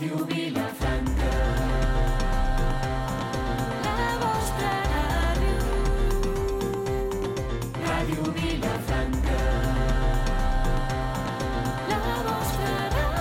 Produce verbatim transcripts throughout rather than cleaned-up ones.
Ràdio Vilafranca. La vostra ràdio. Ràdio Vilafranca. La vostra ràdio.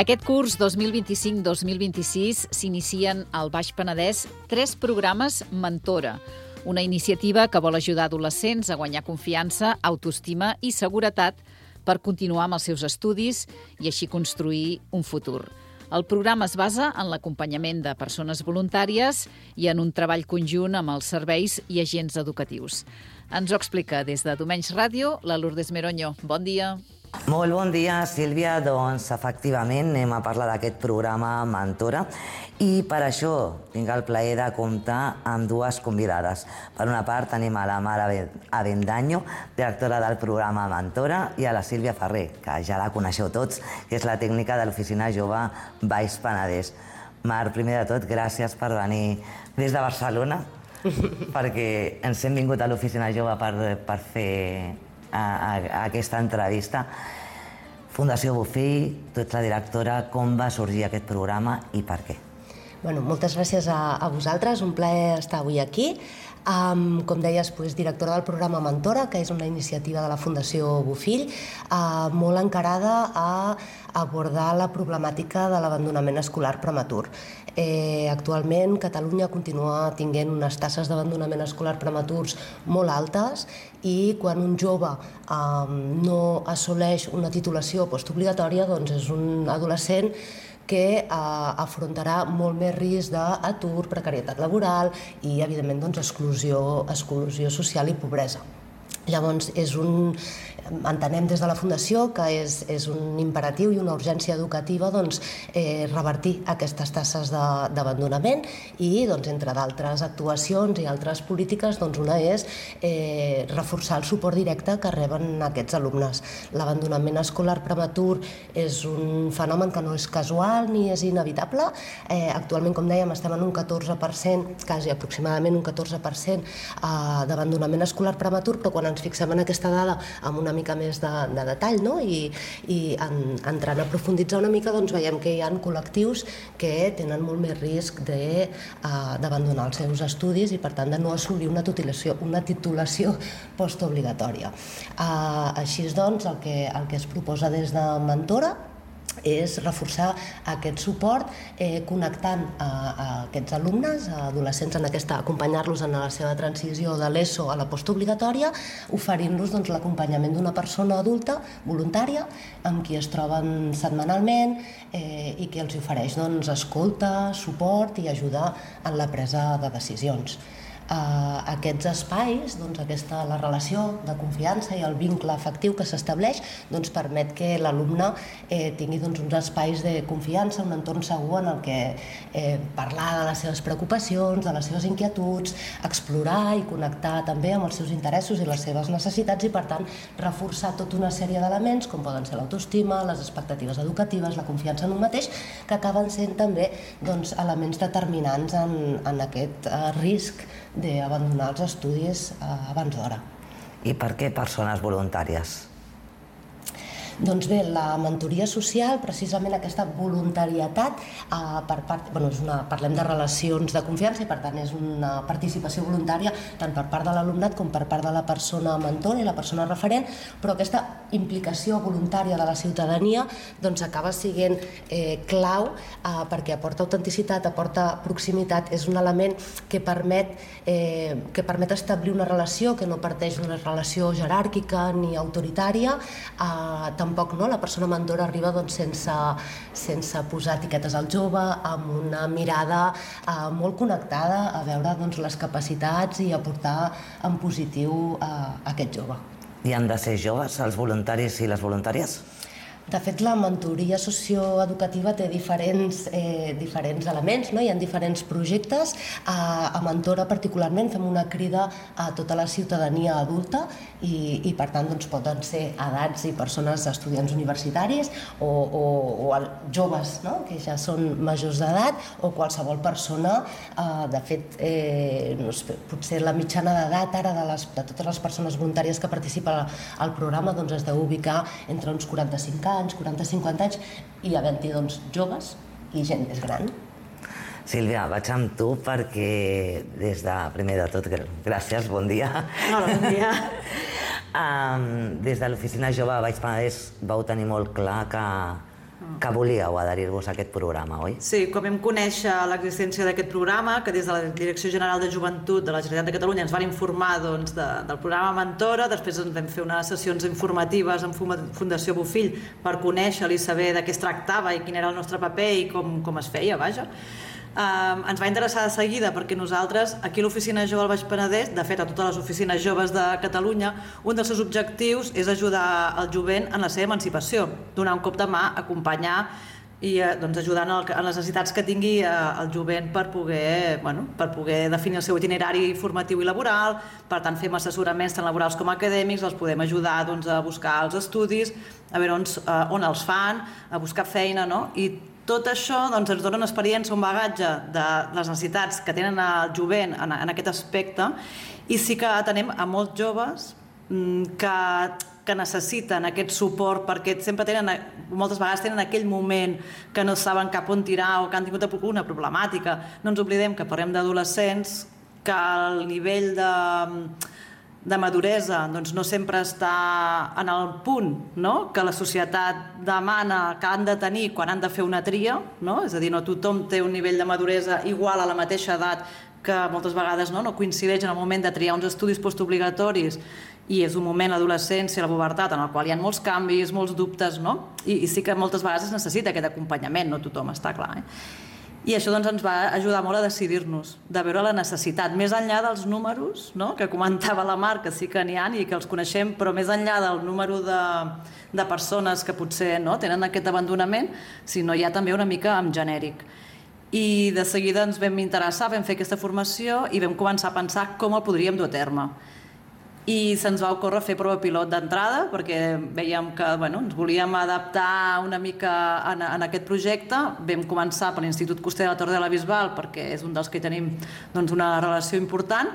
Aquest curs dos mil vint-i-cinc dos mil vint-i-sis s'inicien al Baix Penedès tres programes Mentora, una iniciativa que vol ajudar adolescents a guanyar confiança, autoestima i seguretat per continuar amb els seus estudis i així construir un futur. El programa es basa en l'acompanyament de persones voluntàries i en un treball conjunt amb els serveis i agents educatius. Ens ho explica des de Domenys Ràdio la Lourdes Meroño. Bon dia. Molt bon dia, Sílvia. Doncs, efectivament, anem a parlar d'aquest programa Mentora i per això tinc el plaer de comptar amb dues convidades. Per una part, tenim a la Mara Avendaño, directora del programa Mentora, i a la Sílvia Ferrer, que ja la coneixeu tots, que és la tècnica de l'Oficina Jove Baix Penedès. Mar, primer de tot, gràcies per venir des de Barcelona, perquè ens hem vingut a l'Oficina Jove per, per fer A, a, a aquesta entrevista. Fundació Bofill, tu ets la directora, com va sorgir aquest programa i per què? Bueno, moltes gràcies a, a vosaltres, un plaer estar avui aquí. Um, com deies, pues, directora del programa Mentora, que és una iniciativa de la Fundació Bofill, uh, molt encarada a abordar la problemàtica de l'abandonament escolar prematur. Eh, actualment, Catalunya continua tinguent unes taxes d'abandonament escolar prematurs molt altes i quan un jove eh, no assoleix una titulació postobligatòria, doncs és un adolescent que eh, afrontarà molt més risc d'atur, precarietat laboral i, evidentment, doncs, exclusió, exclusió social i pobresa. Llavors, és un, entenem des de la Fundació que és, és un imperatiu i una urgència educativa doncs, eh, revertir aquestes taxes d'abandonament i, doncs, entre d'altres actuacions i altres polítiques, doncs, una és eh, reforçar el suport directe que reben aquests alumnes. L'abandonament escolar prematur és un fenomen que no és casual ni és inevitable. Eh, actualment, com dèiem, estem en un catorze per cent, quasi aproximadament un catorze per cent eh, d'abandonament escolar prematur, però quan ens fixem en aquesta dada amb una mica més de, de detall, no? I, i en, entrant a profunditzar una mica, doncs veiem que hi ha col·lectius que tenen molt més risc de, uh, d'abandonar els seus estudis i, per tant, de no assolir una titulació, una titulació postobligatòria. Uh, així doncs, el que, el que es proposa des de Mentora és reforçar aquest suport eh, connectant a, a aquests alumnes, a adolescents, en aquesta, acompanyar-los en la seva transició de l'ESO a la postobligatòria, oferint-los doncs, l'acompanyament d'una persona adulta voluntària amb qui es troben setmanalment eh, i que els ofereix doncs, escolta, suport i ajuda en la presa de decisions. Uh, aquests espais, doncs, aquesta, la relació de confiança i el vincle afectiu que s'estableix doncs, permet que l'alumne eh, tingui doncs, uns espais de confiança, un entorn segur en el que eh, parlar de les seves preocupacions, de les seves inquietuds, explorar i connectar també amb els seus interessos i les seves necessitats i, per tant, reforçar tota una sèrie d'elements com poden ser l'autoestima, les expectatives educatives, la confiança en un mateix, que acaben sent també doncs, elements determinants en, en aquest uh, risc d'abandonar els estudis abans d'hora. I per què persones voluntàries? Doncs bé, la mentoria social, precisament aquesta voluntarietat, eh, per part, bueno, és una, parlem de relacions de confiança i per tant és una participació voluntària tant per part de l'alumnat com per part de la persona mentora i la persona referent, però aquesta implicació voluntària de la ciutadania doncs acaba sent eh, clau eh, perquè aporta autenticitat, aporta proximitat, és un element que permet, eh, que permet establir una relació que no parteix d'una relació jeràrquica ni autoritària, eh, tampoc no, la persona mentora arriba doncs, sense, sense posar etiquetes al jove, amb una mirada eh, molt connectada a veure doncs, les capacitats i aportar en positiu eh, a aquest jove. I han de ser joves els voluntaris i les voluntàries? De fet, la mentoria socioeducativa té diferents, eh, diferents elements, no? Hi ha diferents projectes. A, a Mentora, particularment, fem una crida a tota la ciutadania adulta i, i per tant, doncs, poden ser edats i persones, estudiants universitaris o, o, o joves, no? Que ja són majors d'edat, o qualsevol persona. Eh, de fet, eh, no sé, potser la mitjana d'edat ara de, les, de totes les persones voluntàries que participen al programa doncs, es deu ubicar entre uns quaranta-cinc anys, quaranta a cinquanta anys, i havent-hi doncs, joves i gent més gran. Sílvia, vaig amb tu perquè des de, primer de tot, gràcies, bon dia. Hola, bon dia. um, des de l'Oficina Jove de Baix Penedès vau tenir molt clar que, que volíeu adherir-vos a aquest programa, oi? Sí, quan vam conèixer l'existència d'aquest programa, que des de la Direcció General de Joventut de la Generalitat de Catalunya ens van informar doncs, de, del programa Mentora, després ens vam fer unes sessions informatives amb Fundació Bofill per conèixer-lo i saber de què es tractava i quin era el nostre paper i com, com es feia, vaja. Um, ens va interessar de seguida perquè nosaltres, aquí a l'Oficina Jove al Baix Penedès, de fet a totes les oficines joves de Catalunya, un dels seus objectius és ajudar el jovent en la seva emancipació, donar un cop de mà, acompanyar i eh, doncs, ajudar en, el, en les necessitats que tingui eh, el jovent per poder, bueno, per poder definir el seu itinerari formatiu i laboral, per tant fem assessoraments tant laborals com acadèmics, els podem ajudar doncs, a buscar els estudis, a veure on, eh, on els fan, a buscar feina, no? I tot això doncs, ens dona una experiència, un bagatge de les necessitats que tenen el jovent en, en aquest aspecte, i sí que atenem a molts joves que, que necessiten aquest suport perquè sempre tenen, moltes vegades tenen aquell moment que no saben cap on tirar o que han tingut una problemàtica. No ens oblidem que parlem d'adolescents, que el nivell de... de maduresa doncs no sempre està en el punt, no? Que la societat demana que han de tenir quan han de fer una tria, no? És a dir, no tothom té un nivell de maduresa igual a la mateixa edat, que moltes vegades no, no coincideix en el moment de triar uns estudis postobligatoris, i és un moment, l'adolescència, la pubertat, en el qual hi ha molts canvis, molts dubtes, no? I, i sí que moltes vegades es necessita aquest acompanyament, no tothom, està clar, eh? I això doncs, ens va ajudar molt a decidir-nos, de veure la necessitat, més enllà dels números, no? Que comentava la Mar, que sí que n'hi ha i que els coneixem, però més enllà del número de, de persones que potser no, tenen aquest abandonament, sinó hi ha també una mica en genèric. I de seguida ens vam interessar, vam fer aquesta formació i vam començar a pensar com el podríem dur a terme. I se'ns va ocórrer fer prova pilot d'entrada perquè veiem que bueno, ens volíem adaptar una mica en, en aquest projecte. Vam començar per l'Institut Coster de la Torre de la Bisbal perquè és un dels que tenim doncs, una relació important.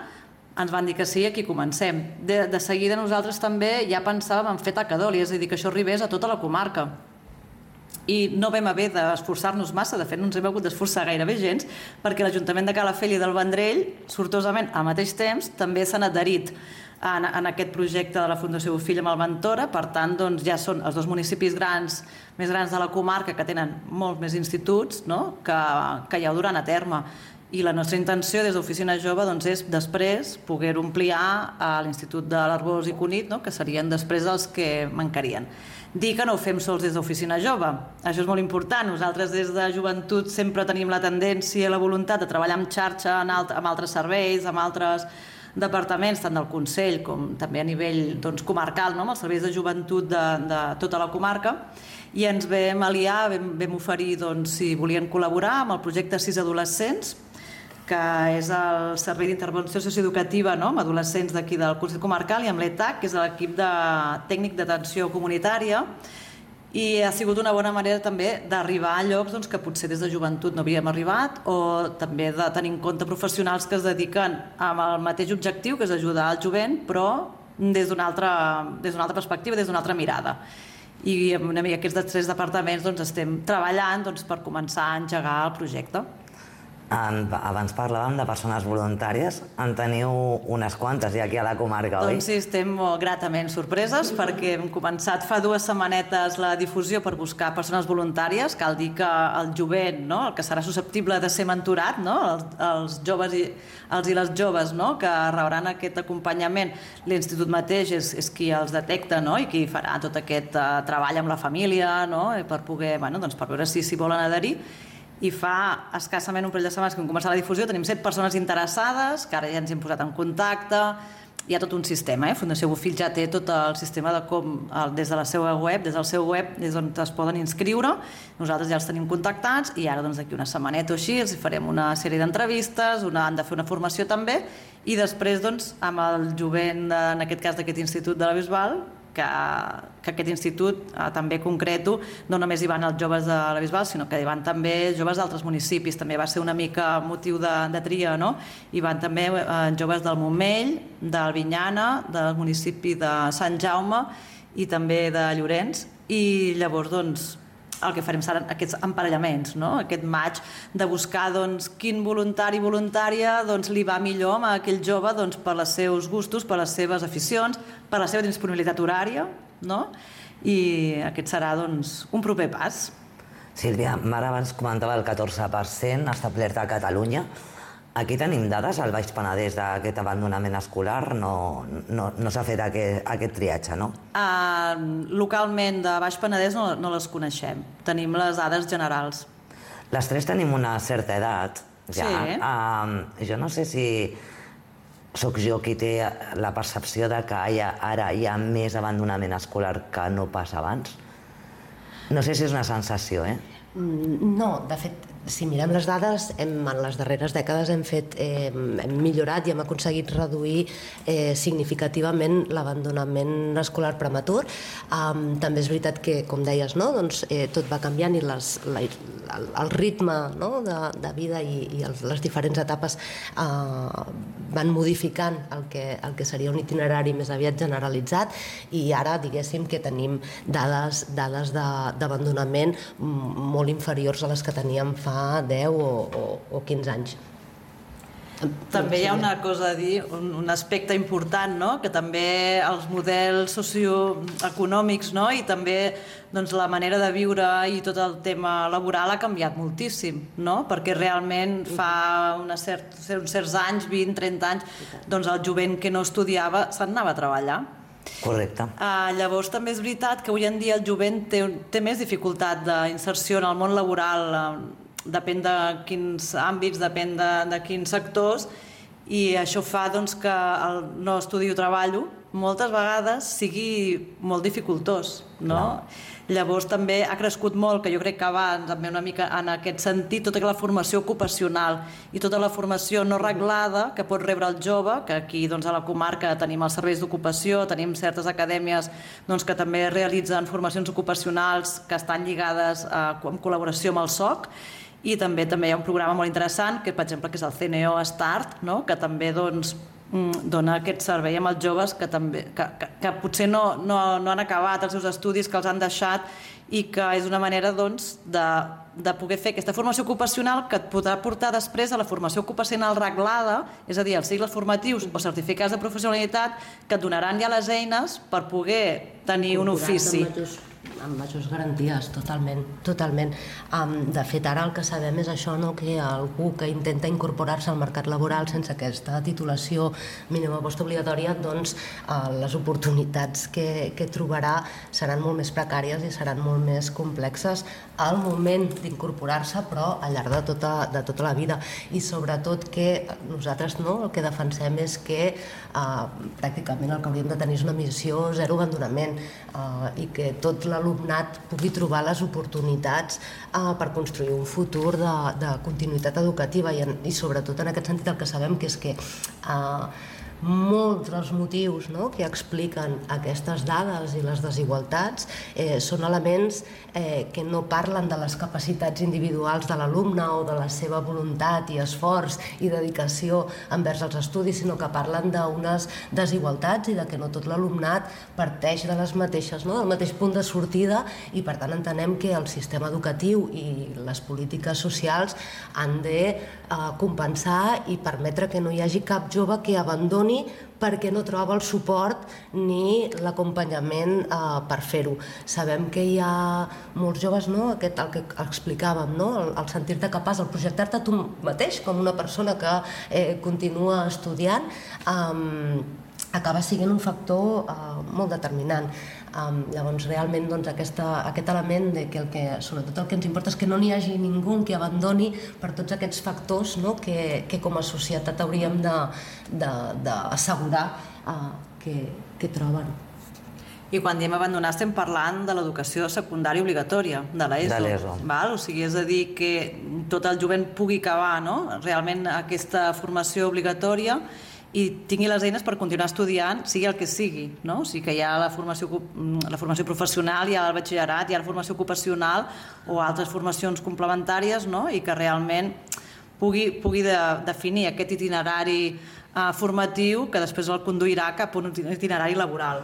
Ens van dir que sí, aquí comencem. De, de seguida nosaltres també ja pensàvem en fer Tacadoli, és a dir, que això arribés a tota la comarca. I no vam haver d'esforçar-nos massa, de fet no ens hem hagut d'esforçar gairebé gens, perquè l'Ajuntament de Calafell i del Vendrell, sortosament al mateix temps, també s'han adherit en, en aquest projecte de la Fundació Bofill amb el Mentora. Per tant, doncs, ja són els dos municipis grans, més grans de la comarca, que tenen molts més instituts, no? que, que ja ho duran a terme. I la nostra intenció des d'Oficina Jove doncs, és després poder-ho ampliar a l'Institut de l'Arbós i Cunit, no? Que serien després els que mancarien. Dir que no ho fem sols des d'Oficina Jove, això és molt important. Nosaltres des de joventut sempre tenim la tendència i la voluntat de treballar en xarxa amb altres serveis, amb altres departaments, tant del Consell com també a nivell doncs, comarcal, no? Amb els serveis de joventut de, de tota la comarca, i ens vam aliar, vam, vam oferir doncs, si volien col·laborar amb el projecte Sis Adolescents, que és el Servei d'Intervenció Socioeducativa, no? Amb adolescents d'aquí del Consell Comarcal, i amb l'E T A C, que és l'equip de tècnic d'atenció comunitària, i ha sigut una bona manera també d'arribar a llocs doncs, que potser des de joventut no havíem arribat, o també de tenir en compte professionals que es dediquen amb el mateix objectiu, que és ajudar el jovent, però des d'una altra, des d'una altra perspectiva, des d'una altra mirada. I amb una mica aquests tres departaments doncs, estem treballant doncs, per començar a engegar el projecte. Abans parlàvem de persones voluntàries, en teniu unes quantes ja aquí a la comarca, oi? Doncs sí, estem gratament sorpreses perquè hem començat fa dues setmanetes la difusió per buscar persones voluntàries. Cal dir que el jovent, no? El que serà susceptible de ser mentorat, no? els, els joves i, els i les joves, no? Que rebran aquest acompanyament, l'Institut mateix és, és qui els detecta, no? I qui farà tot aquest uh, treball amb la família, no? Per poder, bueno, doncs per veure si s'hi volen adherir. I fa escassament un parell de setmanes que hem començat la difusió, tenim set persones interessades, que ara ja ens hem posat en contacte, hi ha tot un sistema, eh? Fundació Bofill ja té tot el sistema de com, el, des de la seva web, des del seu web, des on es poden inscriure, nosaltres ja els tenim contactats i ara doncs d'aquí una setmaneta o així els farem una sèrie d'entrevistes, una, han de fer una formació també i després doncs amb el jovent, en aquest cas d'aquest institut de la Bisbal, que, que aquest institut eh, també concreto, no només hi van els joves de la Bisbal, sinó que hi van també joves d'altres municipis, també va ser una mica motiu de, de tria, no? Hi van també eh, joves del Montmell, del Vinyana, del municipi de Sant Jaume i també de Llorenç, i llavors doncs el que farem seran aquests emparellaments, no? Aquest match de buscar doncs, quin voluntari i voluntària doncs, li va millor a aquell jove doncs, per als seus gustos, per les seves aficions, per la seva disponibilitat horària, no? I aquest serà doncs, un proper pas. Sílvia, Mara abans comentava el catorze per cent establert a Catalunya. Aquí tenim dades al Baix Penedès d'aquest abandonament escolar, no, no, no s'ha fet aquest, aquest triatge, no? Uh, localment de Baix Penedès no, no les coneixem, tenim les dades generals. Les tres tenim una certa edat, ja. Sí. Uh, jo no sé si sóc jo qui té la percepció de que hi ha, ara hi ha més abandonament escolar que no pas abans. No sé si és una sensació, eh? No, de fet, si mirem les dades, hem, en les darreres dècades hem, fet, eh, hem millorat i hem aconseguit reduir eh, significativament l'abandonament escolar prematur. Um, també és veritat que, com deies, no? doncs, eh, tot va canviant i les, la, el, el ritme no? de, de vida i, i els, les diferents etapes eh, van modificant el que, el que seria un itinerari més aviat generalitzat i ara, diguéssim, que tenim dades, dades d'abandonament molt inferiors a les que teníem fa deu o, o, o quinze anys. També hi ha una cosa a dir, un, un aspecte important, no? Que també els models socioeconòmics, no? I també doncs, la manera de viure i tot el tema laboral ha canviat moltíssim, no? Perquè realment fa una cert, uns certs anys, vint, trenta anys, doncs el jovent que no estudiava se'n anava a treballar. Correcte. Uh, llavors també és veritat que avui en dia el jovent té, té més dificultat d'inserció en el món laboral, uh, depèn de quins àmbits, depèn de, de quins sectors, i això fa doncs, que el no estudi o treballo moltes vegades sigui molt dificultós, no? Clar. Llavors també ha crescut molt, que jo crec que va també una mica en aquest sentit, tota la formació ocupacional i tota la formació no reglada que pot rebre el jove, que aquí doncs, a la comarca tenim els serveis d'ocupació, tenim certes acadèmies doncs, que també realitzen formacions ocupacionals que estan lligades a, en col·laboració amb el S O C, i també també hi ha un programa molt interessant, que per exemple que és el C N O Start, no? Que també doncs, dona aquest servei amb els joves que, també, que, que, que potser no, no, no han acabat els seus estudis, que els han deixat, i que és una manera doncs, de, de poder fer aquesta formació ocupacional que et podrà portar després a la formació ocupacional reglada, és a dir, els cicles formatius o certificats de professionalitat que et donaran ja les eines per poder tenir un ofici. Amb majors garanties, totalment, totalment. Um, de fet, ara el que sabem és això, no? Que algú que intenta incorporar-se al mercat laboral sense aquesta titulació mínima postobligatòria, doncs uh, les oportunitats que, que trobarà seran molt més precàries i seran molt més complexes al moment d'incorporar-se, però al llarg de tota, de tota la vida. I sobretot que nosaltres no, el que defensem és que uh, pràcticament el que hauríem de tenir és una missió zero abandonament uh, i que tot la l'alumnat pugui trobar les oportunitats eh, per construir un futur de, de continuïtat educativa i, en, i sobretot en aquest sentit el que sabem que és que eh, molts dels motius no, que expliquen aquestes dades i les desigualtats eh, són elements eh, que no parlen de les capacitats individuals de l'alumne o de la seva voluntat i esforç i dedicació envers els estudis, sinó que parlen d'unes desigualtats i de que no tot l'alumnat parteix de les mateixes, no, del mateix punt de sortida i per tant entenem que el sistema educatiu i les polítiques socials han de eh, compensar i permetre que no hi hagi cap jove que abandoni perquè no troba el suport ni l'acompanyament eh, per fer-ho. Sabem que hi ha molts joves, no? Aquest, el que explicàvem, no? el, el sentir-te capaç, el projectar-te tu mateix com una persona que eh, continua estudiant, eh, acaba sent un factor uh, molt determinant. Um, llavors, realment, doncs, aquesta, aquest element de que, el que sobretot el que ens importa és que no n'hi hagi ningú que abandoni per tots aquests factors, no? que, que com a societat hauríem d'assegurar uh, que, que troben. I quan diem abandonar estem parlant de l'educació secundària obligatòria, de l'ESO. De l'ESO. Val? O sigui, és a dir, que tot el jovent pugui acabar, no? realment aquesta formació obligatòria i tingui les eines per continuar estudiant, sigui el que sigui, no? O sigui que hi ha la formació, la formació professional, hi ha el batxillerat, hi ha la formació ocupacional o altres formacions complementàries, no? I que realment pugui, pugui de, definir aquest itinerari eh, formatiu que després el conduirà cap a un itinerari laboral.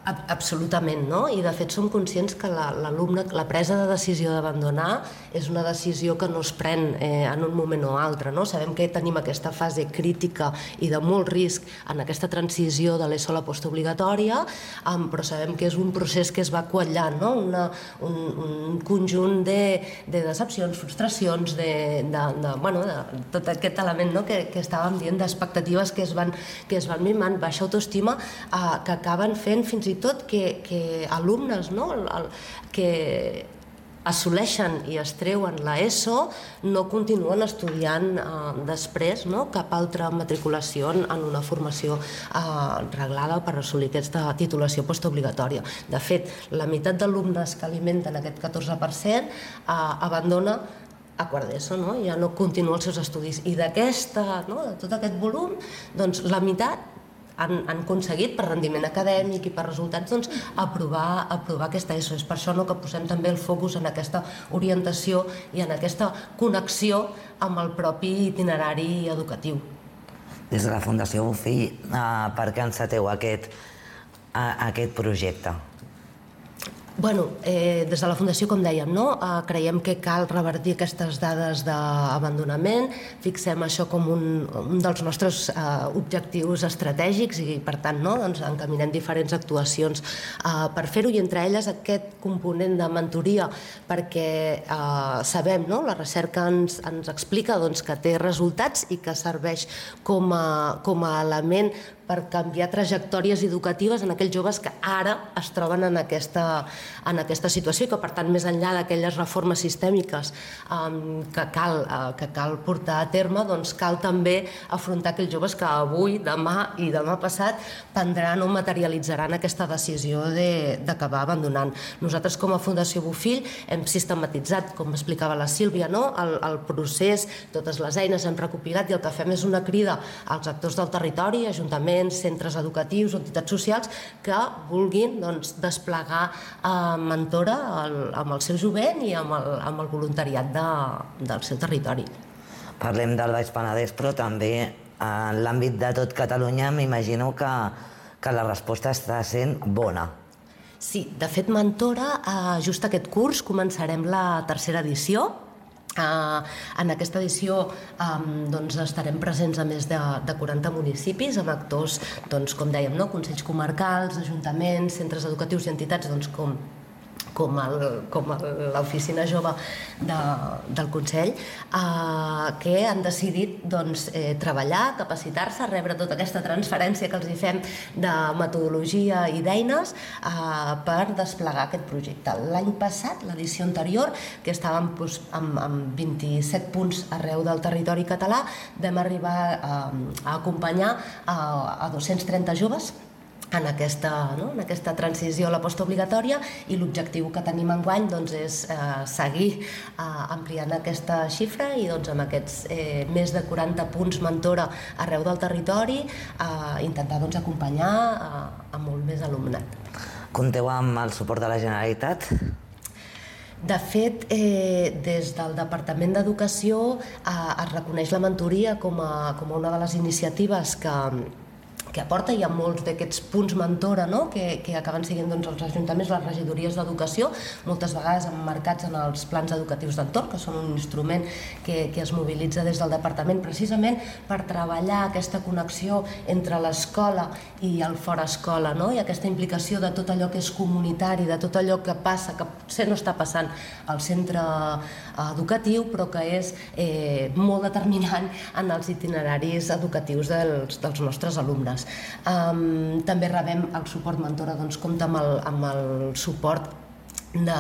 Absolutament, no? I de fet som conscients que l'alumne, la, la presa de decisió d'abandonar és una decisió que no es pren eh, en un moment o altre, no? Sabem que tenim aquesta fase crítica i de molt risc en aquesta transició de l'ESO a la postobligatòria, um, però sabem que és un procés que es va quallant, no? Una, un, un conjunt de, de decepcions, frustracions, de, de, de, bueno, de tot aquest element, no? que, que estàvem dient, d'expectatives que es van, que es van mimant, baixa autoestima, eh, que acaben fent fins i tot que, que alumnes, no? el, el, que assoleixen i es treuen l'ESO no continuen estudiant eh, després, no? cap altra matriculació en una formació eh, reglada per assolir aquesta titulació postobligatòria. De fet, la meitat d'alumnes que alimenten aquest catorze per cent eh, abandona a quart d'ESO, no? Ja no continua els seus estudis. I d'aquesta, no? de tot aquest volum, doncs la meitat Han, han aconseguit per rendiment acadèmic i per resultats doncs, aprovar, aprovar aquesta ESO. És per això no, que posem també el focus en aquesta orientació i en aquesta connexió amb el propi itinerari educatiu. Des de la Fundació Bofill, eh, per què enceteu aquest, eh, aquest projecte? Bueno, eh, des de la Fundació, com dèiem, no? eh, creiem que cal revertir aquestes dades d'abandonament, fixem això com un, un dels nostres eh, objectius estratègics i, per tant, no? doncs, encaminem diferents actuacions eh, per fer-ho, i entre elles aquest component de mentoria, perquè eh, sabem, no? la recerca ens, ens explica doncs, que té resultats i que serveix com a, com a element per canviar trajectòries educatives en aquells joves que ara es troben en aquesta, en aquesta situació i que, per tant, més enllà d'aquelles reformes sistèmiques um, que, cal, uh, que cal portar a terme, doncs cal també afrontar aquells joves que avui, demà i demà passat prendran o materialitzaran aquesta decisió d'acabar de, abandonant. Nosaltres, com a Fundació Bofill, hem sistematitzat, com explicava la Sílvia, no? el, el procés, totes les eines hem recopilat, i el que fem és una crida als actors del territori, ajuntaments, centres educatius o entitats socials que vulguin doncs, desplegar eh, mentora el, amb el seu jovent i amb el, amb el voluntariat de, del seu territori. Parlem del Baix Penedès, però també en l'àmbit de tot Catalunya m'imagino que, que la resposta està sent bona. Sí, de fet, Mentora, eh, just aquest curs començarem la tercera edició. Uh, en aquesta edició um, doncs estarem presents a més de, de quaranta municipis amb actors, doncs, com dèiem, no? Consells comarcals, ajuntaments, centres educatius i entitats doncs, com, com, el, com l'oficina jove de, del Consell, uh, que han decidit doncs, eh, treballar, capacitar-se, rebre tota aquesta transferència que els hi fem de metodologia i d'eines uh, per desplegar aquest projecte. L'any passat, l'edició anterior, que estàvem doncs, amb, amb vint-i-set punts arreu del territori català, vam arribar a, a acompanyar a, a dos-cents trenta joves en aquesta, no? en aquesta transició a la postobligatòria, i l'objectiu que tenim enguany doncs, és eh, seguir eh, ampliant aquesta xifra i doncs, amb aquests eh, més de quaranta punts mentora arreu del territori eh, intentar doncs, acompanyar eh, a molt més alumnat. Compteu amb el suport de la Generalitat? De fet, eh, des del Departament d'Educació eh, es reconeix la mentoria com a, com a una de les iniciatives que que aporta. Hi ha molts d'aquests punts mentora, no? que, que acaben sent doncs, els ajuntaments, les regidories d'educació, moltes vegades emmarcats en els plans educatius d'entorn, que són un instrument que, que es mobilitza des del departament precisament per treballar aquesta connexió entre l'escola i el fora escola, no? I aquesta implicació de tot allò que és comunitari, de tot allò que passa, que potser no està passant al centre educatiu, però que és eh, molt determinant en els itineraris educatius dels, dels nostres alumnes. estudiants. Um, també rebem el suport Mentora, doncs compta amb el, amb el suport De,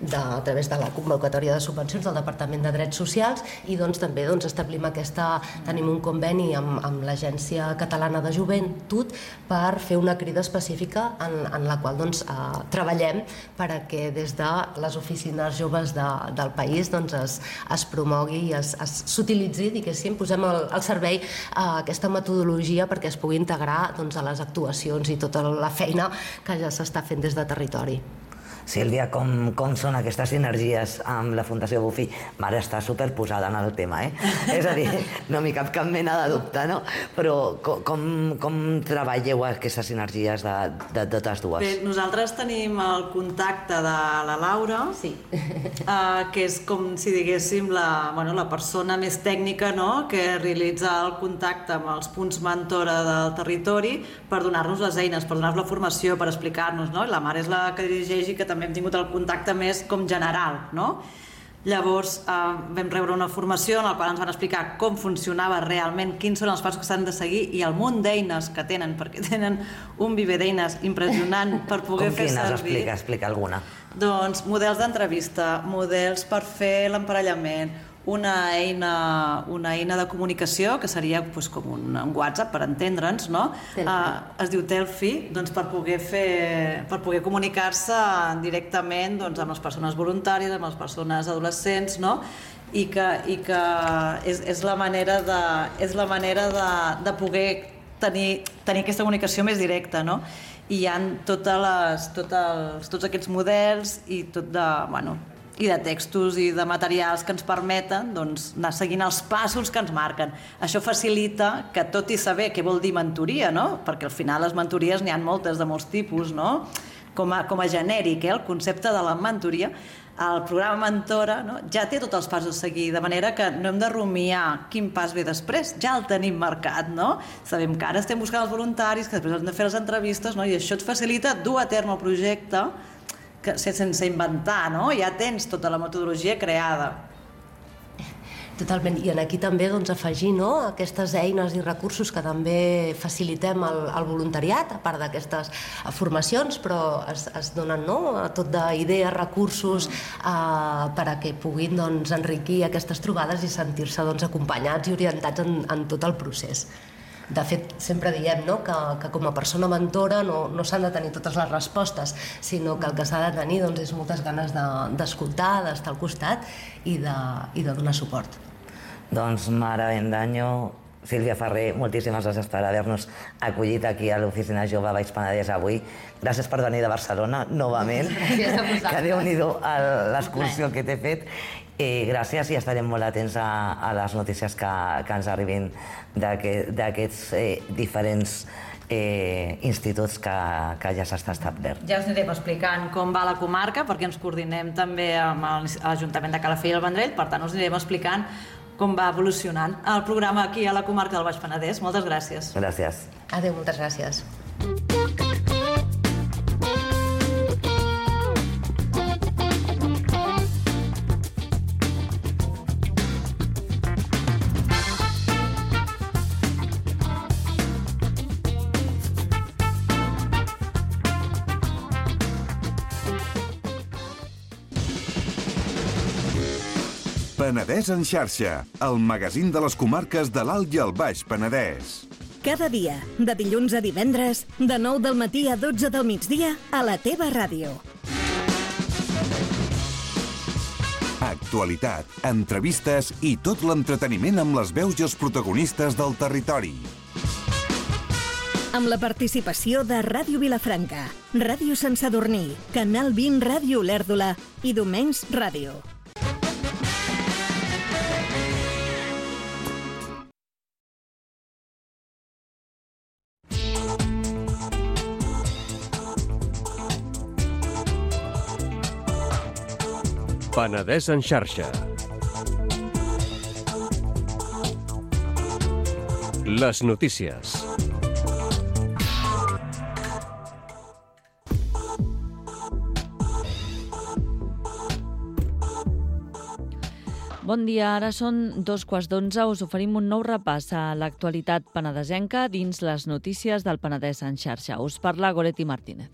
de, a través de la convocatòria de subvencions del Departament de Drets Socials i doncs, també doncs, establim aquesta, tenim un conveni amb, amb l'Agència Catalana de Joventut per fer una crida específica en, en la qual doncs, eh, treballem perquè des de les oficines joves de, del país doncs, es, es promogui i s'utilitzi, diguéssim, posem al, al servei eh, aquesta metodologia perquè es pugui integrar doncs, a les actuacions i tota la feina que ja s'està fent des de territori. Sílvia, com, com són aquestes sinergies amb la Fundació Bofill? Mare està superposada en el tema, eh? És a dir, no m'hi cap cap mena de dubte, no? Però com, com, com treballeu aquestes sinergies de, de totes dues? Bé, nosaltres tenim el contacte de la Laura, sí. eh, que és com si diguéssim la, bueno, la persona més tècnica, no?, que realitza el contacte amb els punts mentora del territori per donar-nos les eines, per donar-nos la formació, per explicar-nos, no? I la mare és la que dirigeix i que també hem tingut el contacte més com general, no? Llavors eh, vam rebre una formació en la qual ens van explicar com funcionava realment, quins són els passos que s'han de seguir i el munt d'eines que tenen, perquè tenen un viver d'eines impressionant per poder com fer quines? servir. Explica, explica alguna. Doncs models d'entrevista, models per fer l'emparellament, una eina, una eina de comunicació que seria doncs, com un, un WhatsApp per entendre'ns, no? Uh, es diu Telfi, doncs, per poder fer, per poder comunicar-se directament doncs, amb les persones voluntàries, amb les persones adolescents, no? I que, i que és, és la manera de, és la manera de, de poder tenir, tenir aquesta comunicació més directa, no? I hi ha totes les, tot els, tots aquests models i tot de, bueno, i de textos i de materials que ens permeten doncs, anar seguint els passos que ens marquen. Això facilita que, tot i saber què vol dir mentoria, no? Perquè al final les mentories n'hi ha moltes de molts tipus, no? Com a, com a genèric, eh? El concepte de la mentoria, el programa Mentora, no? Ja té tots els passos a seguir, de manera que no hem de rumiar quin pas ve després, ja el tenim marcat, no? Sabem que ara estem buscant els voluntaris, que després hem de fer les entrevistes, no? I això et facilita dur a terme el projecte que, sense inventar, no? Ja tens tota la metodologia creada. Totalment, i aquí també doncs, afegir no, aquestes eines i recursos que també facilitem al, al voluntariat, a part d'aquestes formacions, però es, es donen no, tot d'idees, recursos eh, per a que puguin doncs, enriquir aquestes trobades i sentir-se doncs, acompanyats i orientats en, en tot el procés. De fet, sempre diem no, que, que com a persona mentora no, no s'han de tenir totes les respostes, sinó que el que s'ha de tenir doncs, és moltes ganes d'escoltar, de, d'estar al costat i de, i de donar suport. Doncs, Mare Bendaño, Sílvia Ferrer, moltíssimes gràcies per haver-nos acollit aquí a l'Oficina Jove Baix Penedès avui. Gràcies per venir de Barcelona, novament, que Déu-n'hi-do l'excursió que t'he fet. I gràcies i estarem molt atents a, a les notícies que, que ens arribin d'aquests eh, diferents eh, instituts que, que ja s'està establert. Ja us anirem explicant com va la comarca, perquè ens coordinem també amb l'Ajuntament de Calafell i el Vendrell, per tant us anirem explicant com va evolucionant el programa aquí a la comarca del Baix Penedès. Moltes gràcies. Gràcies. Adéu, moltes gràcies. Penedès en xarxa, el magazín de les comarques de l'Alt i el Baix Penedès. Cada dia, de dilluns a divendres, de nou del matí a dotze del migdia, a la teva ràdio. Actualitat, entrevistes i tot l'entreteniment amb les veus i els protagonistes del territori. Amb la participació de Ràdio Vilafranca, Ràdio Sant Sadurní, Canal vint Ràdio Olèrdola i Domenys Ràdio. Penedès en xarxa. Les notícies. Bon dia, ara són dos quarts d'onze. Us oferim un nou repàs a l'actualitat penedesenca dins les notícies del Penedès en xarxa. Us parla Goretti Martínez.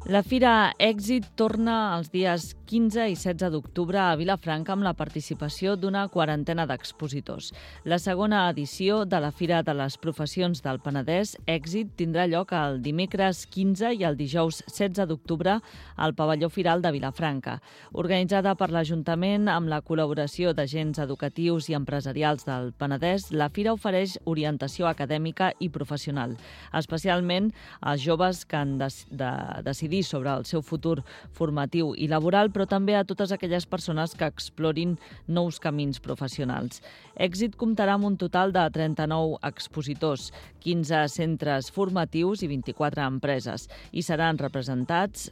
La Fira Èxit torna els dies quinze i setze d'octubre a Vilafranca amb la participació d'una quarantena d'expositors. La segona edició de la Fira de les Professions del Penedès, Èxit, tindrà lloc el dimecres quinze i el dijous setze d'octubre al Pavelló Firal de Vilafranca. Organitzada per l'Ajuntament amb la col·laboració d'agents educatius i empresarials del Penedès, la Fira ofereix orientació acadèmica i professional, especialment als joves que han de, de decidir sobre el seu futur formatiu i laboral, però també a totes aquelles persones que explorin nous camins professionals. Èxit comptarà amb un total de trenta-nou expositors, quinze centres formatius i vint-i-quatre empreses. Hi seran representats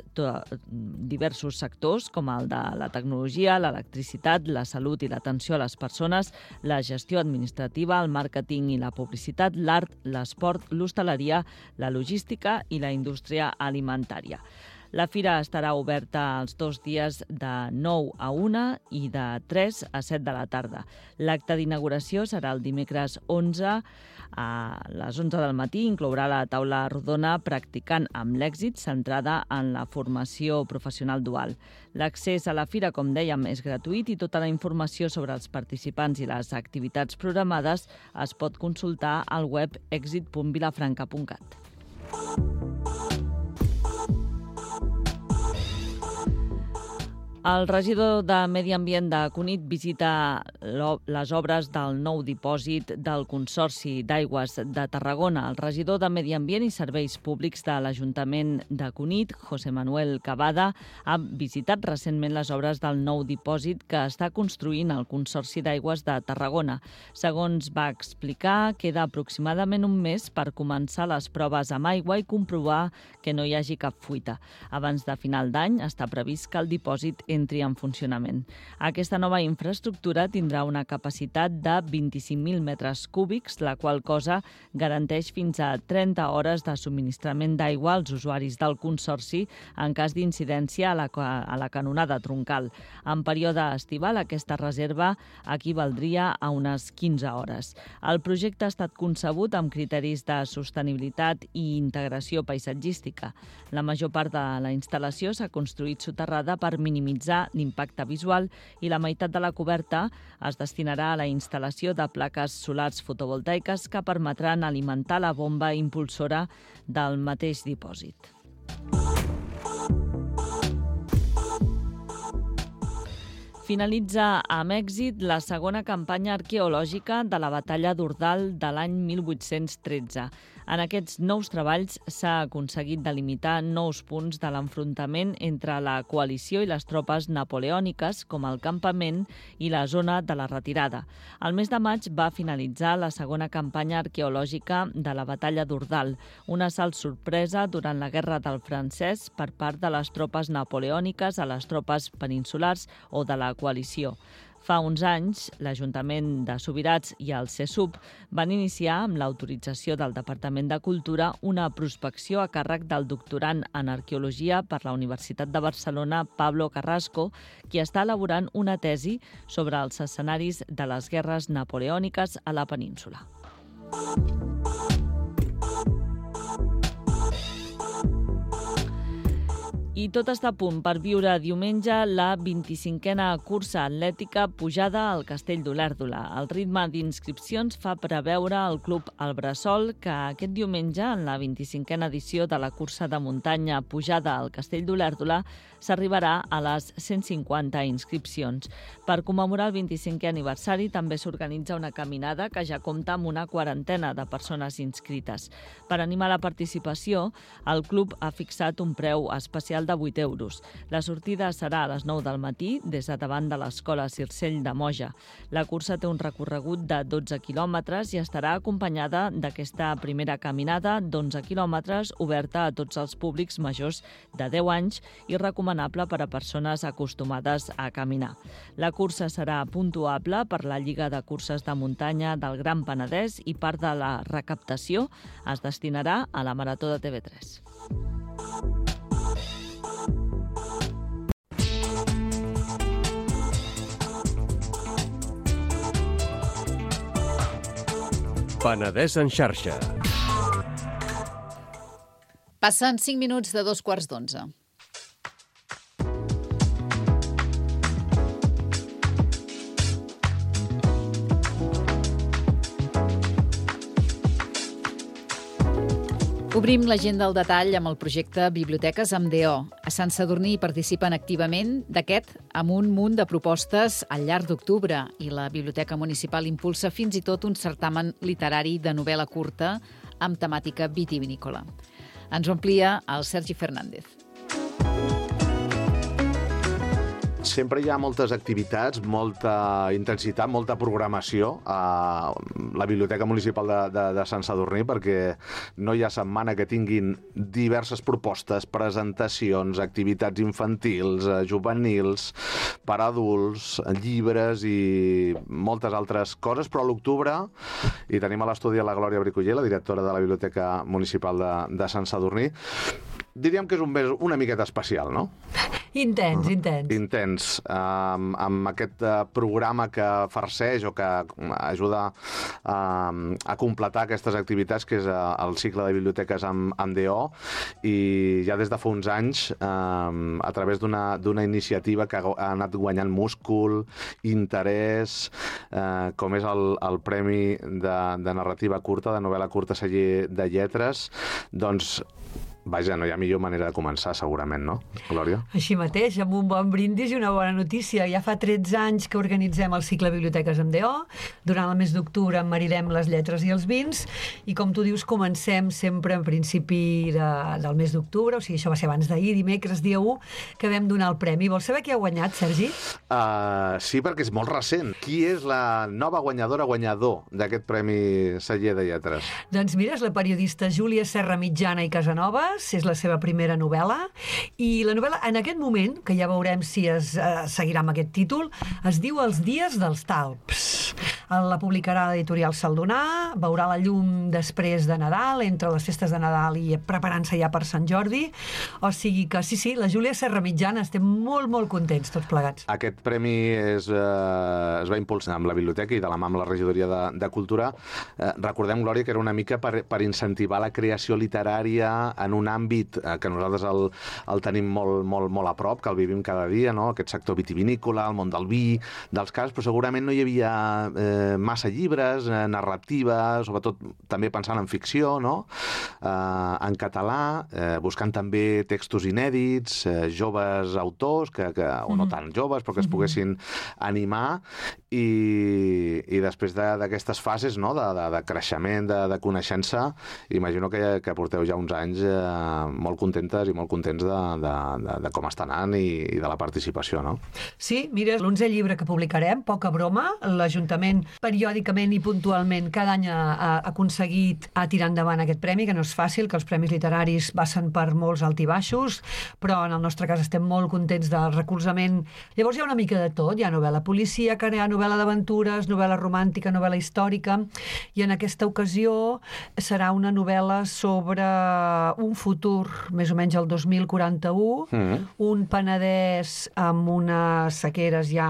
diversos sectors, com el de la tecnologia, l'electricitat, la salut i l'atenció a les persones, la gestió administrativa, el màrqueting i la publicitat, l'art, l'esport, l'hostaleria, la logística i la indústria alimentària. La fira estarà oberta els dos dies de nou a una i de tres a set de la tarda. L'acte d'inauguració serà el dimecres onze a les onze del matí. Inclourà la taula rodona Practicant amb l'èxit, centrada en la formació professional dual. L'accés a la fira, com dèiem, és gratuït i tota la informació sobre els participants i les activitats programades es pot consultar al web èxit punt vilafranca punt cat. El regidor de Medi Ambient de Cunit visita les obres del nou dipòsit del Consorci d'Aigües de Tarragona. El regidor de Medi Ambient i Serveis Públics de l'Ajuntament de Cunit, José Manuel Cavada, ha visitat recentment les obres del nou dipòsit que està construint el Consorci d'Aigües de Tarragona. Segons va explicar, queda aproximadament un mes per començar les proves amb aigua i comprovar que no hi hagi cap fuita. Abans de final d'any està previst que el dipòsit entri en funcionament. Aquesta nova infraestructura tindrà una capacitat de vint-i-cinc mil metres cúbics, la qual cosa garanteix fins a trenta hores de subministrament d'aigua als usuaris del Consorci en cas d'incidència a la, a la canonada troncal. En període estival, aquesta reserva equivaldria a unes quinze hores. El projecte ha estat concebut amb criteris de sostenibilitat i integració paisatgística. La major part de la instal·lació s'ha construït soterrada per minimitzar l'impacte visual i la meitat de la coberta es destinarà a la instal·lació de plaques solars fotovoltaiques que permetran alimentar la bomba impulsora del mateix dipòsit. Finalitza amb èxit la segona campanya arqueològica de la batalla d'Ordal de l'any mil vuit-cents tretze. En aquests nous treballs s'ha aconseguit delimitar nous punts de l'enfrontament entre la coalició i les tropes napoleòniques, com el campament i la zona de la retirada. El mes de maig va finalitzar la segona campanya arqueològica de la batalla d'Ordal, un assalt sorpresa durant la Guerra del Francès per part de les tropes napoleòniques a les tropes peninsulars o de la coalició. Fa uns anys, l'Ajuntament de Subirats i el CESUB van iniciar, amb l'autorització del Departament de Cultura, una prospecció a càrrec del doctorand en Arqueologia per la Universitat de Barcelona, Pablo Carrasco, qui està elaborant una tesi sobre els escenaris de les guerres napoleòniques a la península. I tot està a punt per viure diumenge la vint-i-cinquena cursa atlètica Pujada al Castell d'Olèrdola. El ritme d'inscripcions fa preveure el Club El Bressol que aquest diumenge, en la vint-i-cinquena edició de la cursa de muntanya Pujada al Castell d'Olèrdola, s'arribarà a les cent cinquanta inscripcions. Per commemorar el vint-i-cinquè aniversari també s'organitza una caminada que ja compta amb una quarantena de persones inscrites. Per animar la participació, el club ha fixat un preu especial de vuit euros. La sortida serà a les nou del matí des de davant de l'Escola Circell de Moja. La cursa té un recorregut de dotze quilòmetres i estarà acompanyada d'aquesta primera caminada d'onze quilòmetres oberta a tots els públics majors de deu anys i recomanable per a persones acostumades a caminar. La cursa serà puntuable per la Lliga de Curses de Muntanya del Gran Penedès i part de la recaptació es destinarà a la Marató de T V tres. Penedès en xarxa. Passen cinc minuts de dos quarts d'onze. Obrim l'agenda al detall amb el projecte Biblioteques amb D O. A Sant Sadurní hi participen activament d'aquest amb un munt de propostes al llarg d'octubre i la Biblioteca Municipal impulsa fins i tot un certamen literari de novel·la curta amb temàtica vitivinícola. Ens ho amplia el Sergi Fernández. Sempre hi ha moltes activitats, molta intensitat, molta programació a la Biblioteca Municipal de, de, de Sant Sadurní, perquè no hi ha setmana que tinguin diverses propostes, presentacions, activitats infantils, juvenils, per adults, llibres i moltes altres coses, però a l'octubre hi tenim a l'estudi la Glòria Bricoller, la directora de la Biblioteca Municipal de, de Sant Sadurní. Diríem que és un mes una miqueta especial, no? Intens, intens. Intens, um, amb aquest uh, programa que farceix o que ajuda um, a completar aquestes activitats, que és uh, el cicle de biblioteques amb, amb D O, i ja des de fa uns anys, um, a través d'una d'una iniciativa que ha anat guanyant múscul, interès, uh, com és el, el Premi de, de Narrativa Curta, de novel·la curta Celler de Lletres, doncs vaja, no hi ha millor manera de començar, segurament, no, Glòria? Així mateix, amb un bon brindis i una bona notícia. Ja fa tretze anys que organitzem el cicle Biblioteques amb D O. Durant el mes d'octubre emmarirem les lletres i els vins i, com tu dius, comencem sempre en principi de, del mes d'octubre, o sigui, això va ser abans d'ahir, dimecres, dia u, que vam donar el premi. Vols saber qui ha guanyat, Sergi? Uh, sí, perquè és molt recent. Qui és la nova guanyadora guanyador d'aquest Premi Celler de Lletres? Doncs mira, és la periodista Júlia Serra Mitjana i Casanova, és la seva primera novel·la, i la novel·la, en aquest moment, que ja veurem si es eh, seguirà amb aquest títol, es diu Els dies dels talps. La publicarà l'editorial Saldonà, veurà la llum després de Nadal, entre les festes de Nadal i preparant-se ja per Sant Jordi, o sigui que sí, sí, la Júlia Serra Mitjana, estem molt, molt contents tots plegats. Aquest premi és, eh, es va impulsar amb la biblioteca i de la mà amb la regidoria de, de Cultura. Eh, recordem, Glòria, que era una mica per, per incentivar la creació literària en un àmbit eh, que nosaltres el, el tenim molt, molt, molt a prop, que el vivim cada dia, no? Aquest sector vitivinícola, el món del vi, dels cars, però segurament no hi havia eh, massa llibres, eh, narrativa, sobretot també pensant en ficció, no? Eh, en català, eh, buscant també textos inèdits, eh, joves autors, que, que, o no tan joves, però que es poguessin animar, i, i després d'aquestes de, fases, no? de, de, de creixement, de, de coneixença, imagino que, que porteu ja uns anys eh, molt contentes i molt contents de, de, de, de com està anant i, i de la participació, no? Sí, mira, l'onzè llibre que publicarem, poca broma, l'Ajuntament periòdicament i puntualment cada any ha, ha aconseguit a tirar endavant aquest premi, que no és fàcil, que els premis literaris passen per molts alt i baixos, però en el nostre cas estem molt contents del recolzament. Llavors hi ha una mica de tot, hi ha novel·la policíaca, hi ha novel·la d'aventures, novel·la romàntica, novel·la històrica, i en aquesta ocasió serà una novel·la sobre un futur, més o menys el dos mil quaranta-u, mm. un Penedès amb unes sequeres ja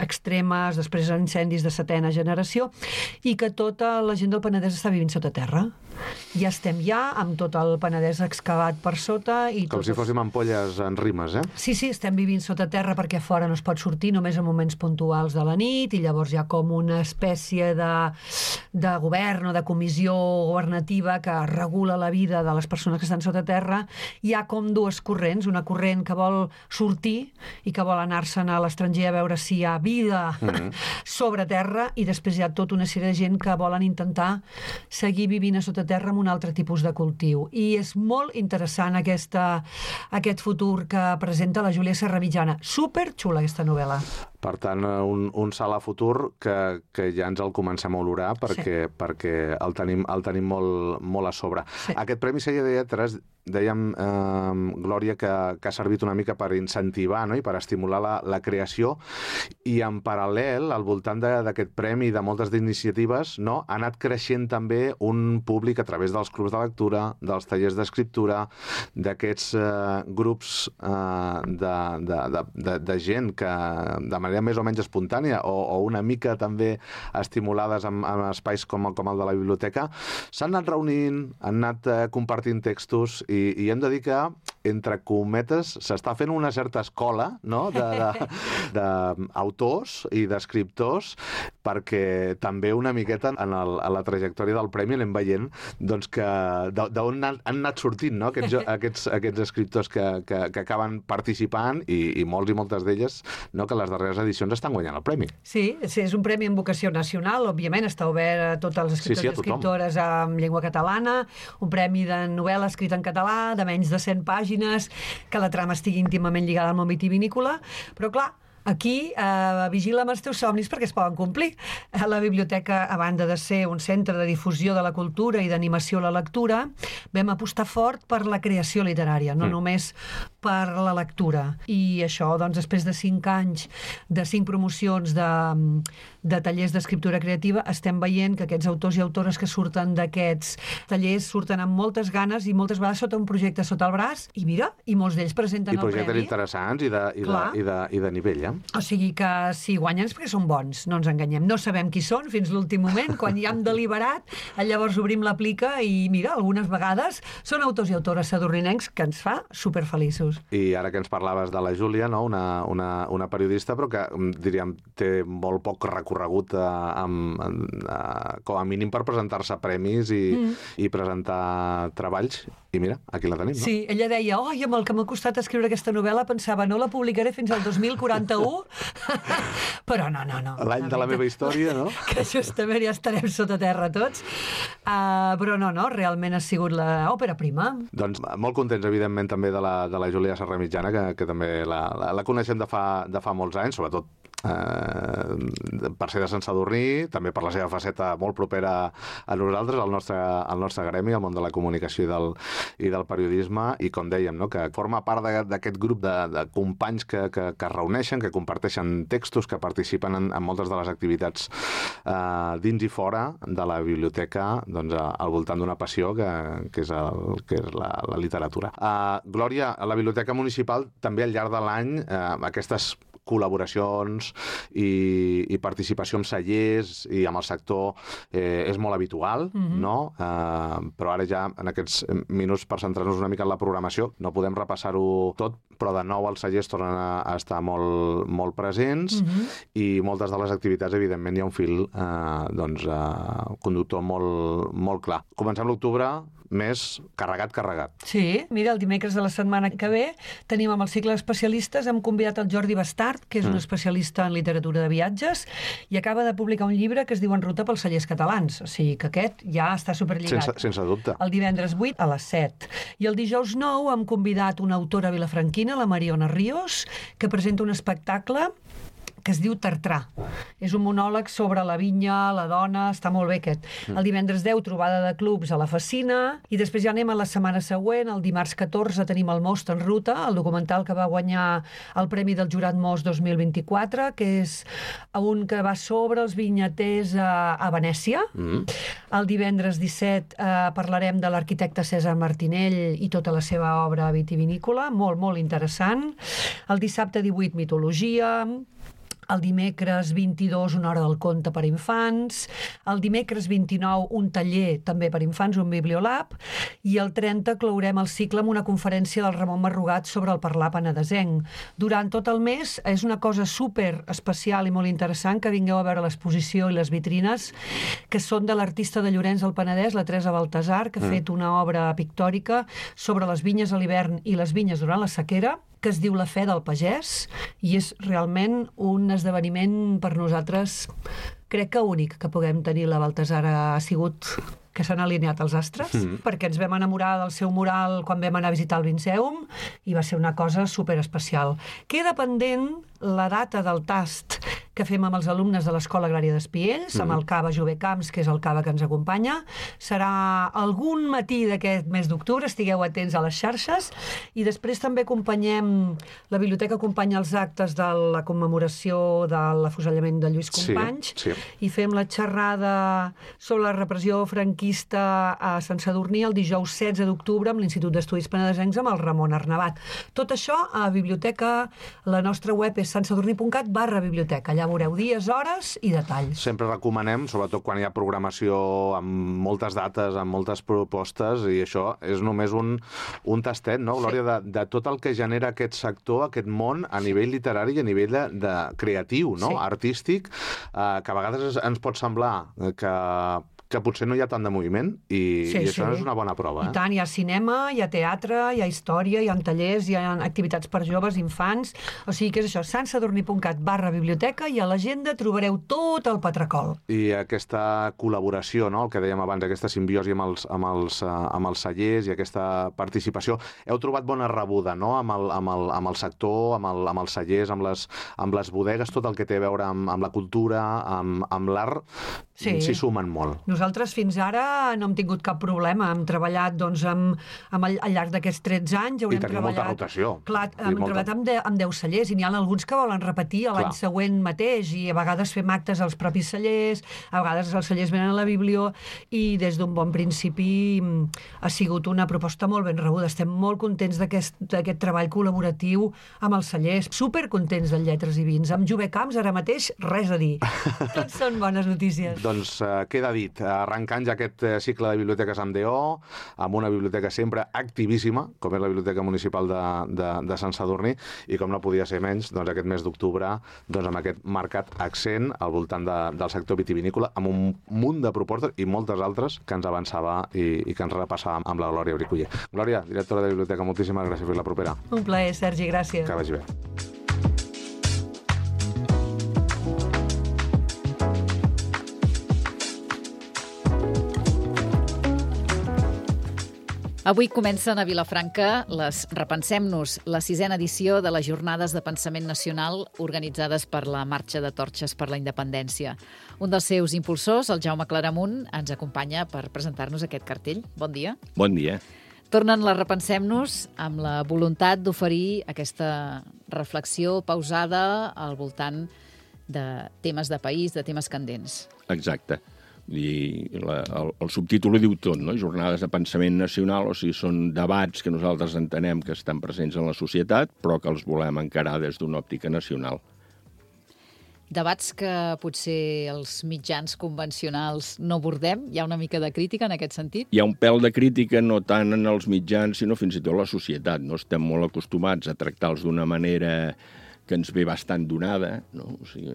extremes, després incendis de setena generació, i que tota la gent del Penedès està vivint sota terra. Ja estem ja amb tot el Penedès excavat per sota. I Com si fóssim ampolles en rimes, eh? Sí, sí, estem vivint sota terra perquè a fora no es pot sortir només en moments puntuals de la nit, i llavors hi ha com una espècie de, de govern o de comissió governativa que regula la vida de les persones que estan sota terra. Hi ha com dues corrents, una corrent que vol sortir i que vol anar-se'n a l'estranger a veure si hi ha vida mm-hmm. sobre terra, i després hi ha tota una sèrie de gent que volen intentar seguir vivint a sota terra amb un altre tipus de cultiu. I és molt interessant aquesta, aquest futur que presenta la Júlia Serra Mitjana. Superxula aquesta novel·la. Per tant, un, un salt a futur que, que ja ens el comencem a olorar perquè, sí. perquè el tenim, el tenim molt, molt a sobre. Sí. Aquest Premi Celler de Lletres dèiem, eh, Glòria, que, que ha servit una mica per incentivar, no?, i per estimular la, la creació, i en paral·lel, al voltant d'aquest premi i de moltes iniciatives, no?, ha anat creixent també un públic a través dels clubs de lectura, dels tallers d'escriptura, d'aquests eh, grups eh, de, de, de, de, de gent que de manera més o menys espontània o, o una mica també estimulades en, en espais com, com el de la biblioteca, s'han anat reunint, han anat eh, compartint textos i, i hem de dir que, entre cometes, s'està fent una certa escola, no?, d'autors i d'escriptors, perquè també una miqueta en, el, en la trajectòria del premi anem veient doncs, que d'on han, han anat sortint, no?, aquests, aquests, aquests escriptors que, que, que acaben participant i, i molts i moltes d'elles, no?, que les darreres edicions estan guanyant el premi. Sí, sí, és un premi amb vocació nacional, òbviament està obert a tots els escriptors sí, sí, i escriptores en llengua catalana, un premi de novel·la escrita en català, de menys de cent pàgines, que la trama estigui íntimament lligada al món vitivinícola, però clar, aquí eh, vigila amb els teus somnis perquè es poden complir. La biblioteca, a banda de ser un centre de difusió de la cultura i d'animació a la lectura, vam apostar fort per la creació literària, no mm. només per la lectura. I això, doncs, després de cinc anys, de cinc promocions de, de tallers d'escriptura creativa, estem veient que aquests autors i autores que surten d'aquests tallers surten amb moltes ganes i moltes vegades sota un projecte sota el braç, i mira, i molts d'ells presenten el premi. I projectes interessants i de, i de, i de, i de nivell, eh? O sigui que si guanyen és perquè són bons, no ens enganyem. No sabem qui són fins l'últim moment, quan ja hem deliberat, llavors obrim la plica i mira, algunes vegades són autors i autores sadurninencs que ens fa superfeliços. I ara que ens parlaves de la Júlia, no? una, una, una periodista, però que, diríem, té molt poc recorregut a, a, a, com a mínim per presentar-se a premis i, mm. i presentar treballs. I mira, aquí la tenim, no? Sí, ella deia, oi, amb el que m'ha costat escriure aquesta novel·la, pensava, no la publicaré fins al dos mil quaranta-u, però no, no, no. L'any de la meva història, no? Que justament ja estarem sota terra tots. Uh, però no, no, realment ha sigut l'òpera prima. Doncs molt contents, evidentment, també de la, de la Júlia Serra Mitjana, que, que també la, la, la coneixem de fa, de fa molts anys, sobretot eh, per ser de Sant Sadurní, també per la seva faceta molt propera a nosaltres, al nostre, al nostre gremi, al món de la comunicació i del, i del periodisme, i com dèiem, no? que forma part d'aquest grup de, de companys que, que, que es reuneixen, que comparteixen textos, que participen en, en moltes de les activitats eh, dins i fora de la biblioteca, doncs, al voltant d'una passió que, que és, el, que és la, la literatura. Uh, Glòria, a la Biblioteca Municipal també al llarg de l'any eh, aquestes col·laboracions i, i participació en cellers i amb el sector eh, és molt habitual, mm-hmm. no? Eh, però ara ja, en aquests minuts per centrar-nos una mica en la programació, no podem repassar-ho tot, però de nou els cellers tornen a, a estar molt, molt presents mm-hmm. i moltes de les activitats, evidentment, hi ha un fil eh, doncs, eh, conductor molt, molt clar. Comencem l'octubre més carregat, carregat. Sí, mira, el dimecres de la setmana que ve tenim amb el cicle d'especialistes, hem convidat el Jordi Bastard, que és mm. un especialista en literatura de viatges, i acaba de publicar un llibre que es diu En ruta pels cellers catalans, o sigui que aquest ja està superlligat. Sense, sense dubte. El divendres vuit a les set. I el dijous nou hem convidat una autora vilafranquina, la Mariona Ríos, que presenta un espectacle que es diu Tartrà. És un monòleg sobre la vinya, la dona, està molt bé aquest. El divendres deu, trobada de clubs a la Facina, i després ja anem a la setmana següent, el dimarts catorze tenim el Most en ruta, el documental que va guanyar el Premi del Jurat Most dos mil vint-i-quatre, que és un que va sobre els vinyaters a, a Venècia. Mm. El divendres disset eh, parlarem de l'arquitecte César Martinell i tota la seva obra vitivinícola, molt, molt interessant. El dissabte divuit, mitologia. El dimecres vint-i-dos, una hora del conte per infants. El dimecres vint-i-nou, un taller també per infants, un bibliolab. I el trenta clourem el cicle amb una conferència del Ramon Marrugat sobre el parlar penedesenc. Durant tot el mes és una cosa super especial i molt interessant que vingueu a veure l'exposició i les vitrines, que són de l'artista de Llorenç del Penedès, la Teresa Baltasar, que ha mm. fet una obra pictòrica sobre les vinyes a l'hivern i les vinyes durant la sequera, que es diu La fe del pagès, i és realment un esdeveniment per nosaltres, crec que únic, que puguem tenir. La Baltasar ha sigut que s'han alineat els astres, mm. perquè ens vam enamorar del seu mural quan vam anar a visitar el Vinceum i va ser una cosa superespecial. Queda pendent la data del tast que fem amb els alumnes de l'Escola Agrària d'Espiells, mm. amb el Cava Jove Camps, que és el Cava que ens acompanya. Serà algun matí d'aquest mes d'octubre, estigueu atents a les xarxes, i després també acompanyem, la biblioteca acompanya els actes de la commemoració de l'afusellament de Lluís Companys, sí, sí. i fem la xerrada sobre la repressió franquista a Sant Sadurní el dijous setze d'octubre amb l'Institut d'Estudis Penedesencs amb el Ramon Arnabat. Tot això a biblioteca, la nostra web és santsadurní.cat barra biblioteca. Allà veureu dies, hores i detalls. Sempre recomanem, sobretot quan hi ha programació amb moltes dates, amb moltes propostes, i això és només un, un tastet, no, Glòria, sí. de, de tot el que genera aquest sector, aquest món, a nivell literari i a nivell de, de creatiu, no? Sí. Artístic, eh, que a vegades ens pot semblar que que potser no hi ha tant de moviment i, sí, i això sí. és una bona prova. Eh? I tant, hi ha cinema, hi ha teatre, hi ha història, hi ha tallers, hi ha activitats per joves, infants, o sigui que és això, santsadurní.cat barra biblioteca, i a l'agenda trobareu tot el patracol. I aquesta col·laboració, no? El que dèiem abans, aquesta simbiosi amb els, amb els, amb els cellers i aquesta participació, heu trobat bona rebuda, no? Amb el, amb el, amb el sector, amb, el, amb els cellers, amb les, amb les bodegues, tot el que té a veure amb, amb la cultura, amb, amb l'art, s'hi sí. sumen molt. Nosaltres fins ara no hem tingut cap problema. Hem treballat doncs, amb, amb al, al llarg d'aquests tretze anys. I tenim molta rotació. Clar, hem molta... treballat amb, de, amb deu cellers i n'hi ha alguns que volen repetir l'any següent mateix i a vegades fem actes als propis cellers, a vegades els cellers venen a la biblio, i des d'un bon principi ha sigut una proposta molt ben rebuda. Estem molt contents d'aquest treball col·laboratiu amb els cellers, supercontents del Lletres i Vins. Amb Jove Camps ara mateix res a dir. Tots són bones notícies. Doncs uh, queda dit. Arrencant ja aquest cicle de biblioteques amb D O, amb una biblioteca sempre activíssima, com és la Biblioteca Municipal de, de, de Sant Sadurní, i com no podia ser menys, doncs aquest mes d'octubre, doncs amb aquest marcat accent al voltant de, del sector vitivinícola, amb un munt de propostes i moltes altres que ens avançava i, i que ens repassava amb la Glòria Briculler. Glòria, directora de Biblioteca, moltíssimes gràcies per la propera. Un plaer, Sergi, gràcies. Que vagi bé. Avui comencen a Vilafranca les Repensem-nos, la sisena edició de les Jornades de Pensament Nacional organitzades per la Marxa de Torxes per la Independència. Un dels seus impulsors, el Jaume Claramunt, ens acompanya per presentar-nos aquest cartell. Bon dia. Bon dia. Tornen les Repensem-nos amb la voluntat d'oferir aquesta reflexió pausada al voltant de temes de país, de temes candents. Exacte. I la, el, el subtítol ho diu tot, no? Jornades de pensament nacional, o sigui, són debats que nosaltres entenem que estan presents en la societat, però que els volem encarar des d'una òptica nacional. Debats que potser els mitjans convencionals no abordem? Hi ha una mica de crítica en aquest sentit? Hi ha un pèl de crítica, no tant en els mitjans, sinó fins i tot la societat. No estem molt acostumats a tractar-los d'una manera que ens ve bastant donada, no? O sigui,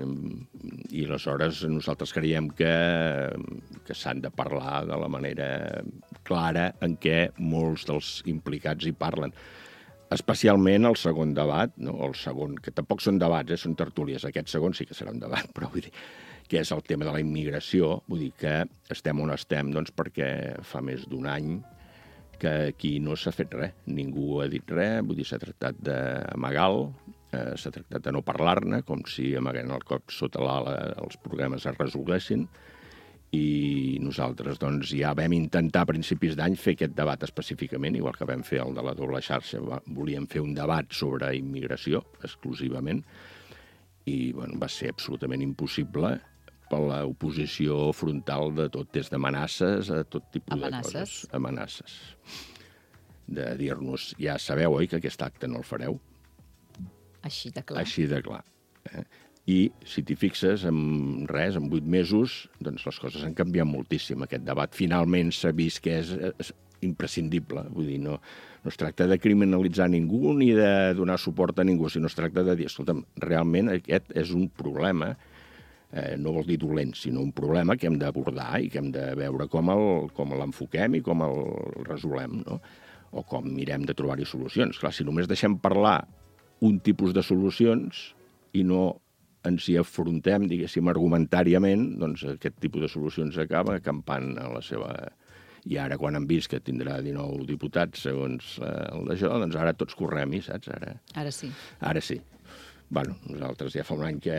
i aleshores nosaltres creiem que, que s'han de parlar de la manera clara en què molts dels implicats hi parlen. Especialment el segon debat, no? El segon, que tampoc són debats, eh? Són tertúlies. Aquest segon sí que serà un debat, però vull dir que és el tema de la immigració. Vull dir que estem on estem, doncs, perquè fa més d'un any que aquí no s'ha fet res. Ningú ha dit res, vull dir, s'ha tractat d'amagar-lo, eh, s'ha tractat de no parlar-ne, com si amagant el cop sota l'ala els problemes es resolguessin, i nosaltres doncs, ja vam intentar a principis d'any fer aquest debat específicament, igual que vam fer el de la doble xarxa. Volíem fer un debat sobre immigració, exclusivament, i bueno, va ser absolutament impossible per l'oposició frontal de tot, des d'amenaces a tot tipus Amenaces. de coses. Amenaces. De dir-nos, ja sabeu, oi, que aquest acte no el fareu? Així de clar. Així de clar. Eh? I, si t'hi fixes, en res, en vuit mesos, doncs les coses han canviat moltíssim. Aquest debat finalment s'ha vist que és, és imprescindible. Vull dir, no, no es tracta de criminalitzar ningú ni de donar suport a ningú, sinó es tracta de dir, escolta'm, realment aquest és un problema, eh, no vol dir dolent, sinó un problema que hem d'abordar i que hem de veure com el, com l'enfoquem i com el resolem, no? O com mirem de trobar-hi solucions. Clar, si només deixem parlar un tipus de solucions i no ens hi afrontem, diguéssim, argumentàriament, doncs aquest tipus de solucions acaba acampant a la seva I ara, quan han vist que tindrà dinou diputats, segons eh, el d'això, doncs ara tots correm-hi, saps? Ara, Ara sí. ara sí. Bueno, nosaltres ja fa un any que,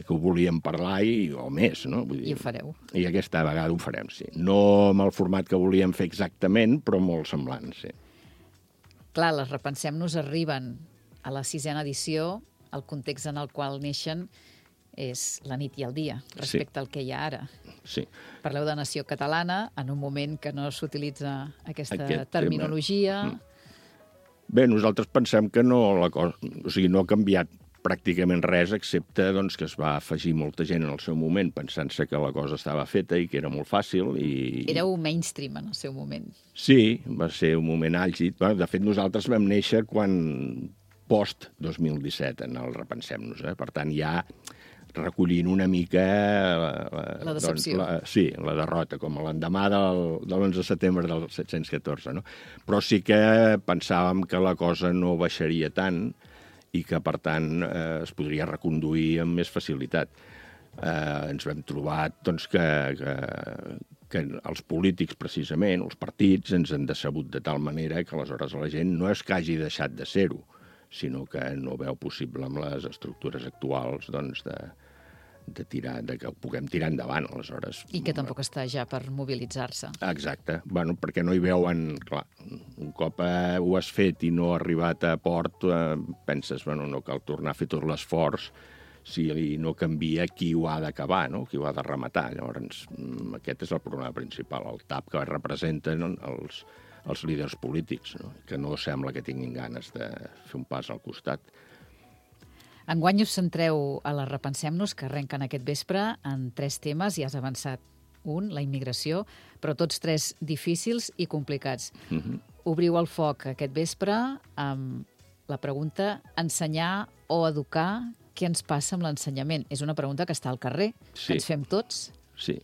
que ho volíem parlar i, o més, no? Vull dir, I ho fareu. I aquesta vegada ho farem, sí. No amb el format que volíem fer exactament, però molt semblant, sí. Clar, les Repensem-nos arriben a la sisena edició, el context en el qual neixen és la nit i el dia, respecte sí. al que hi ha ara. Sí. Parleu de nació catalana en un moment que no s'utilitza aquesta Aquest terminologia. tema. Bé, nosaltres pensem que no, la cosa, o sigui, no ha canviat pràcticament res, excepte doncs, que es va afegir molta gent en el seu moment pensant-se que la cosa estava feta i que era molt fàcil. I... Éreu mainstream en el seu moment. Sí, va ser un moment àlgid. Bueno, de fet, nosaltres vam néixer quan post dos mil disset en el Repensem-nos. Eh? Per tant, ja recollint una mica... La, la decepció. Doncs, la, sí, la derrota, com l'endemà del, de l'onze de setembre del set-cents catorze. No? Però sí que pensàvem que la cosa no baixaria tant i que, per tant, eh, es podria reconduir amb més facilitat. Eh, ens vam trobar doncs, que, que, que els polítics, precisament, els partits, ens han decebut de tal manera que aleshores la gent no és que hagi deixat de ser-ho, sinó que no veu possible amb les estructures actuals doncs, de, de, tirar, de que ho puguem tirar endavant, aleshores. I que tampoc està ja per mobilitzar-se. Exacte. Bueno, perquè no hi veuen... Clar, un cop eh, ho has fet i no ha arribat a port, eh, penses, bueno, no cal tornar a fer tot l'esforç si no canvia qui ho ha d'acabar, no? Qui ho ha de rematar. Llavors, aquest és el problema principal, el tap que representen els, els líders polítics, no? Que no sembla que tinguin ganes de fer un pas al costat. Enguany us centreu a la Repensem-nos, que arrenquen aquest vespre, en tres temes, i has avançat un, la immigració, però tots tres difícils i complicats. Mm-hmm. Obriu el foc aquest vespre amb la pregunta ensenyar o educar, què ens passa amb l'ensenyament? És una pregunta que està al carrer, Sí. que ens fem tots. Sí.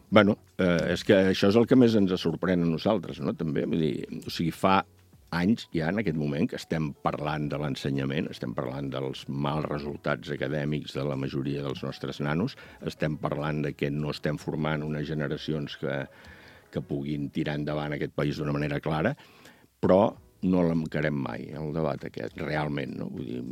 Bueno, eh, és que això és el que més ens sorprèn a nosaltres, no? També, vull dir, o sigui, fa anys ja en aquest moment que estem parlant de l'ensenyament, estem parlant dels mals resultats acadèmics de la majoria dels nostres nanos, estem parlant de que no estem formant unes generacions que, que puguin tirar endavant aquest país d'una manera clara, però no l'encarem mai, el debat aquest, realment, no? Vull dir,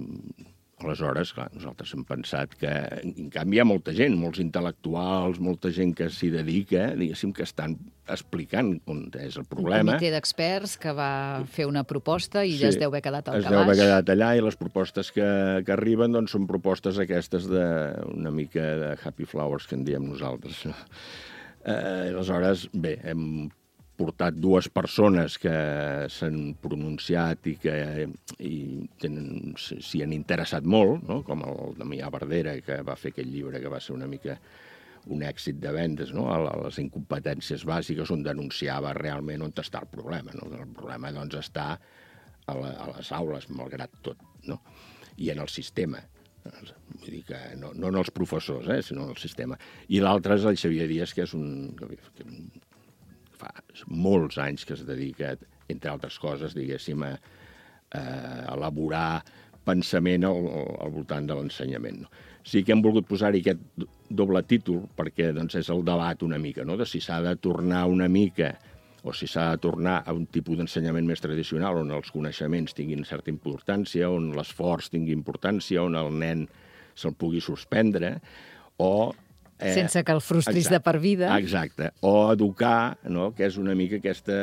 aleshores, clar, nosaltres hem pensat que, en canvi, hi ha molta gent, molts intel·lectuals, molta gent que s'hi dedica, diguéssim, que estan explicant on és el problema. Un comitè d'experts que va fer una proposta i Sí, es deu haver quedat al es calaix. deu haver quedat allà i les propostes que, que arriben doncs, són propostes aquestes de una mica de happy flowers, que en diem nosaltres. Eh, aleshores, bé, hem portat dues persones que s'han pronunciat i que i tenen, s'hi han interessat molt, no? Com el Damià Verdera, que va fer aquest llibre que va ser una mica un èxit de vendes, no? A les incompetències bàsiques, on denunciava realment on està el problema. No? El problema doncs, està a, la, a les aules, malgrat tot, no? I en el sistema. Vull dir que no, no en els professors, eh, sinó en el sistema. I l'altre és el Xavier Díaz, que és un... Que, fa molts anys que es dedica, entre altres coses, diguéssim, a, a elaborar pensament al, al voltant de l'ensenyament. No? Sí que hem volgut posar-hi aquest doble títol perquè doncs, és el debat una mica, no? De si s'ha de tornar una mica o si s'ha de tornar a un tipus d'ensenyament més tradicional on els coneixements tinguin certa importància, on l'esforç tingui importància, on el nen se'l pugui suspendre, o... Eh, sense que el frustris exacte, de per vida. Exacte. O educar, no? Que és una mica aquesta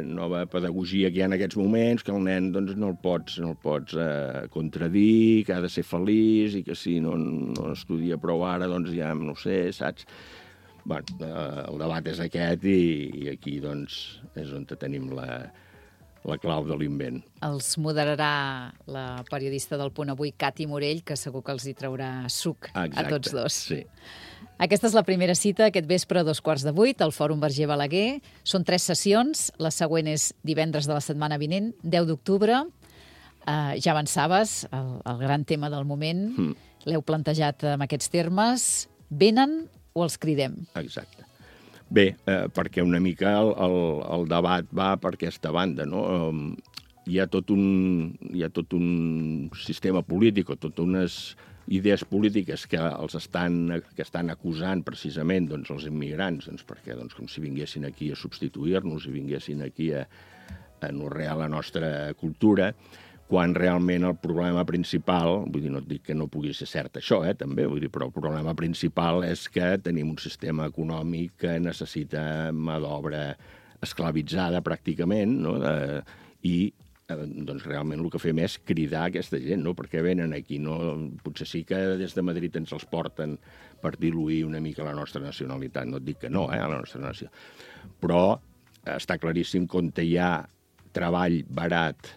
nova pedagogia que hi ha en aquests moments, que el nen doncs, no el pots, no el pots eh, contradir, que ha de ser feliç i que si no, no estudia prou ara, doncs ja no sé, saps? Bueno, eh, el debat és aquest i, i aquí doncs, és on tenim la, la clau de l'invent. Els moderarà la periodista del Punt Avui, Cati Morell, que segur que els hi traurà suc Exacte, a tots dos. Sí. Aquesta és la primera cita, aquest vespre a dos quarts de vuit, al Fòrum Verger Balaguer. Són tres sessions, la següent és divendres de la setmana vinent, deu d'octubre. Uh, ja avançaves, el, el gran tema del moment, mm. l'heu plantejat amb aquests termes. Venen o els cridem? Exacte. Bé, eh, perquè una mica el, el, el debat va per aquesta banda, no? Um, hi ha tot un, hi ha tot un sistema polític o tot unes idees polítiques que els estan, que estan acusant precisament doncs, els immigrants, doncs, perquè doncs, com si vinguessin aquí a substituir-nos i vinguessin aquí a, a anorrear la nostra cultura, quan realment el problema principal, vull dir, no et dic que no pugui ser cert això, eh, també, vull dir, però el problema principal és que tenim un sistema econòmic que necessita mà d'obra esclavitzada pràcticament, no? De, i doncs realment el que fem és cridar aquesta gent, no? Perquè venen aquí, no? Potser sí que des de Madrid ens els porten per diluir una mica la nostra nacionalitat, no et dic que no, eh, a la nostra nació, però està claríssim que on hi ha treball barat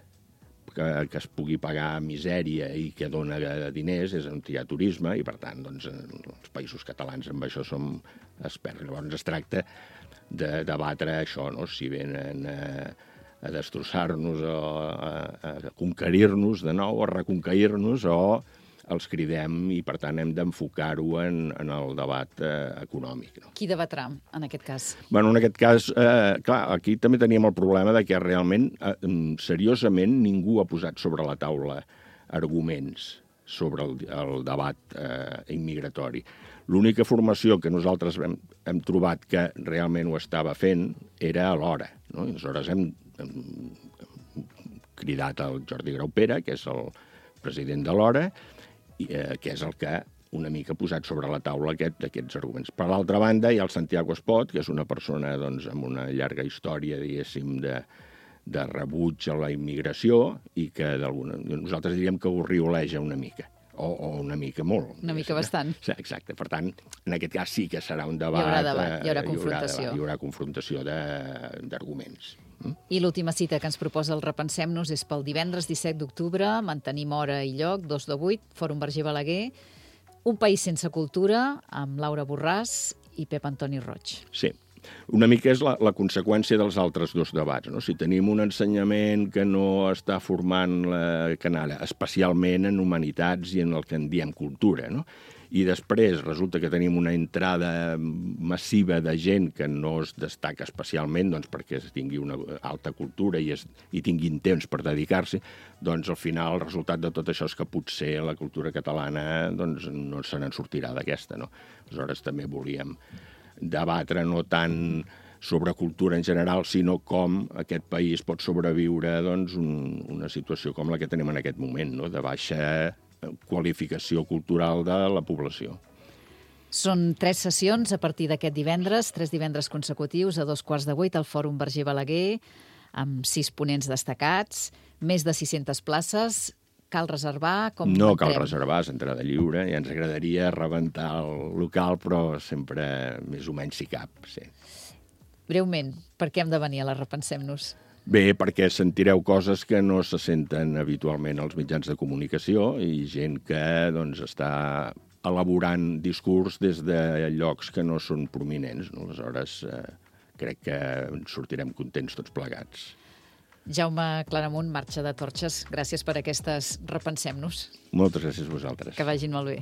que, que es pugui pagar misèria i que dona diners és on hi ha turisme i, per tant, doncs, els països catalans amb això som experts. Llavors es tracta de debatre això, no? Si venen a, a destrossar-nos o a, a conquerir-nos de nou, o a reconquerir-nos, o els cridem i, per tant, hem d'enfocar-ho en, en el debat eh, econòmic. No? Qui debatrà, en aquest cas? Bueno, en aquest cas, eh, clar, aquí també teníem el problema de que realment, eh, seriosament, ningú ha posat sobre la taula arguments sobre el, el debat eh, immigratori. L'única formació que nosaltres hem, hem trobat que realment ho estava fent era a l'Hora. No? I aleshores hem, hem, hem cridat el Jordi Graupera, que és el president de l'Hora, i, eh, que és el que una mica ha posat sobre la taula aquest, aquests arguments. Per l'altra banda, hi ha el Santiago Espot, que és una persona doncs, amb una llarga història, diguéssim, de, de rebuig a la immigració i que nosaltres diríem que ho rioleja una mica. O, o una mica molt. Una mica bastant. Sí, exacte. Per tant, en aquest cas sí que serà un debat. Hi haurà debat, hi haurà confrontació. Hi haurà, hi haurà confrontació d'arguments. Mm? I l'última cita que ens proposa el Repensem-nos és pel divendres disset d'octubre, mantenim hora i lloc, dos de vuit, Fòrum Verger Balaguer, Un país sense cultura, amb Laura Borràs i Pep Antoni Roig. Sí. Una mica és la, la conseqüència dels altres dos debats. No? Si tenim un ensenyament que no està formant la canalla, especialment en humanitats i en el que en diem cultura, no? I després resulta que tenim una entrada massiva de gent que no es destaca especialment doncs, perquè tingui una alta cultura i, es, i tinguin temps per dedicar-s'hi, doncs al final el resultat de tot això és que potser la cultura catalana doncs, no se n'en sortirà d'aquesta. No? Aleshores també volíem debatre no tant sobre cultura en general, sinó com aquest país pot sobreviure doncs, un, una situació com la que tenim en aquest moment, no? De baixa qualificació cultural de la població. Són tres sessions a partir d'aquest divendres, tres divendres consecutius a dos quarts de vuit al Fòrum Verger Balaguer, amb sis ponents destacats, més de sis-centes places. Cal reservar? Com no entrem? Cal reservar, és entrada lliure, i ens agradaria rebentar el local, però sempre més o menys si cap. Sí. Breument, per què hem de venir a la Repensem-nos? Bé, perquè sentireu coses que no se senten habitualment als mitjans de comunicació i gent que doncs, està elaborant discurs des de llocs que no són prominents. No? Aleshores, eh, crec que ens sortirem contents tots plegats. Jaume Claramunt, Marxa de Torxes, gràcies per aquestes Repensem-nos. Moltes gràcies a vosaltres. Que vagin molt bé.